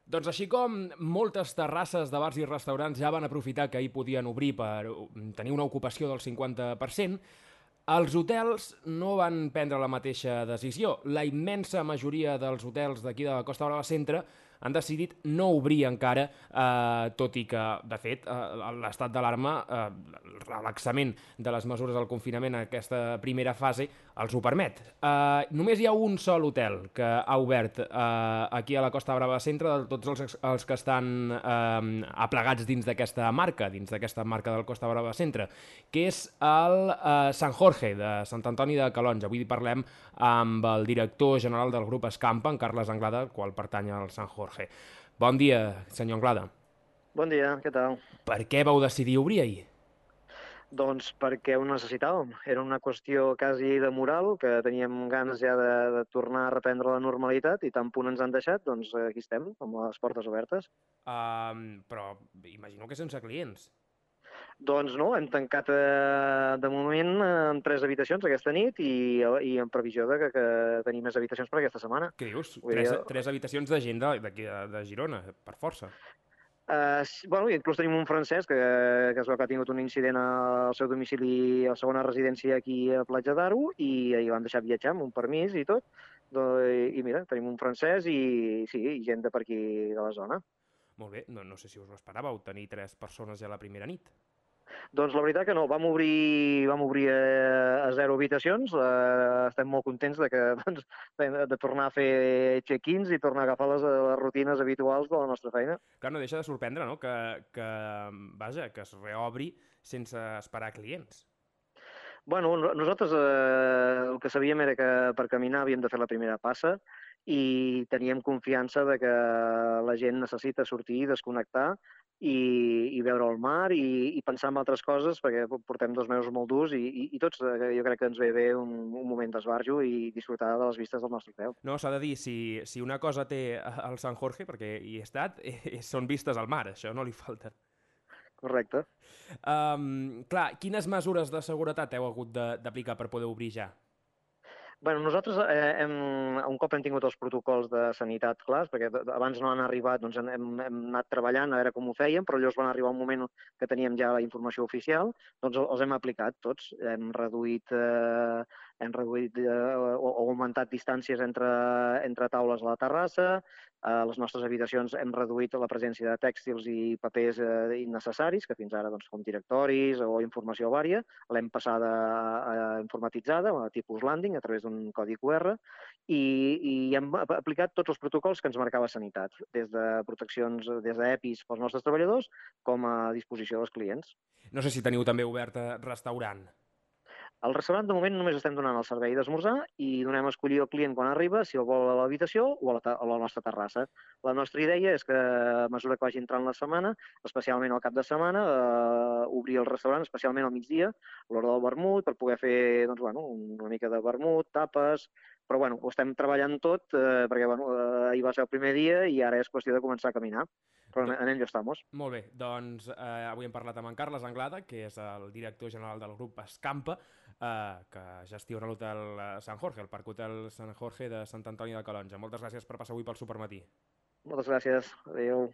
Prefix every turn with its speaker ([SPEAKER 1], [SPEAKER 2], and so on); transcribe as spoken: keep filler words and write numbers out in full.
[SPEAKER 1] Doncs així com moltes terrasses de bars i restaurants ja van aprofitar que ahir podien obrir per tenir una ocupació del cinquanta per cent, els hotels no van prendre la mateixa decisió. La immensa majoria dels hotels d'aquí de la Costa Brava Centre han decidit no obrir encara, eh, tot i que, de fet, eh, l'estat d'alarma, eh, el relaxament de les mesures del confinament en aquesta primera fase els ho permet. Eh, només hi ha un sol hotel que ha obert eh, aquí a la Costa Brava Centre de tots els, els que estan eh, aplegats dins d'aquesta marca, dins d'aquesta marca del Costa Brava Centre, que és el eh, Sant Jorge de Sant Antoni de Calonge. Avui parlem amb el director general del grup Escampa, en Carles Anglada, al qual pertany al Sant Jorge. Bon dia, senyor Anglada.
[SPEAKER 2] Bon dia, què tal?
[SPEAKER 1] Per què vau decidir obrir ahir?
[SPEAKER 2] Doncs perquè ho necessitàvem. Era una qüestió quasi de moral, que teníem ganes ja de, de tornar a reprendre la normalitat i tant punt ens han deixat, doncs aquí estem, amb les portes obertes.
[SPEAKER 1] Um, però imagino que sense clients.
[SPEAKER 2] Doncs no, hem tancat eh, de moment eh, amb tres habitacions aquesta nit i, i en previsió de que, que tenim més habitacions per aquesta setmana.
[SPEAKER 1] Què dius?
[SPEAKER 2] Vull dir,
[SPEAKER 1] Tres, tres habitacions de gent d'aquí de, de Girona, per força.
[SPEAKER 2] Uh, bueno, inclús tenim un francès que, que es veu que ha tingut un incident al seu domicili, a la segona residència aquí a Platja d'Aro, i ahir l'han deixat viatjar amb un permís i tot. Do, i, I mira, tenim un francès i sí, i gent de per aquí de la zona.
[SPEAKER 1] Molt bé, no, no sé si us ho esperàveu, tenir tres persones ja la primera nit.
[SPEAKER 2] Doncs la veritat que no, vam obrir, vam obrir a, a zero habitacions, uh, estem molt contents de, que, doncs, de, de tornar a fer check-ins i tornar a agafar les, les rutines habituals de la nostra feina.
[SPEAKER 1] Clar, no deixa de sorprendre, no?, que, que, vaja, que es reobri sense esperar clients.
[SPEAKER 2] Bueno, no- nosaltres eh, el que sabíem era que per caminar havíem de fer la primera passa i teníem confiança de que la gent necessita sortir, desconnectar i, i veure el mar i, i pensar en altres coses perquè portem dos mesos molt durs i, i, i tots eh, jo crec que ens ve bé un, un moment d'esbarjo i disfrutar de les vistes del nostre peu.
[SPEAKER 1] No, s'ha de dir, si, si una cosa té el Sant Jorge, perquè hi he estat, eh, són vistes al mar, això no li falta.
[SPEAKER 2] Correcte.
[SPEAKER 1] Um, clar, quines mesures de seguretat heu hagut d'aplicar per poder obrir ja?
[SPEAKER 2] Bueno, nosaltres eh, hem, un cop hem tingut els protocols de sanitat clars, perquè abans no han arribat, doncs hem, hem anat treballant a veure com ho fèiem, però llavors van arribar un moment que teníem ja la informació oficial, doncs els hem aplicat tots. Hem reduït, eh, hem reduït eh, o, o augmentat distàncies entre, entre taules a la terrassa, a les nostres habitacions hem reduït la presència de tèxtils i papers eh, innecessaris, que fins ara, doncs, com directoris o informació vària, l'hem passada a, a informatitzada, a tipus landing, a través d'un codi Q R, i, i hem aplicat tots els protocols que ens marcava Sanitat, des de proteccions, des d'EPIs pels nostres treballadors, com a disposició dels clients.
[SPEAKER 1] No sé si teniu també obert restaurant.
[SPEAKER 2] Al restaurant, de moment, només estem donant el servei d'esmorzar i donem a escollir al client quan arriba si el vol a l'habitació o a la, a la nostra terrassa. La nostra idea és que, a mesura que vagi entrant la setmana, especialment al cap de setmana, eh, obrir el restaurant, especialment al migdia, a l'hora del vermut, per poder fer doncs, bueno, una mica de vermut, tapes. Però bueno, ho estem treballant tot eh, perquè bueno, eh, ahir va ser el primer dia i ara és qüestió de començar a caminar. Però
[SPEAKER 1] Do
[SPEAKER 2] en, en ello estamos.
[SPEAKER 1] Molt bé, doncs eh, avui hem parlat amb en Carles Anglada, que és el director general del grup Escampa, eh, que gestiona l'hotel eh, Sant Jorge, el Parc Hotel Sant Jorge de Sant Antoni de Calonja. Moltes gràcies per passar avui pel Supermatí.
[SPEAKER 2] Moltes gràcies. Adéu.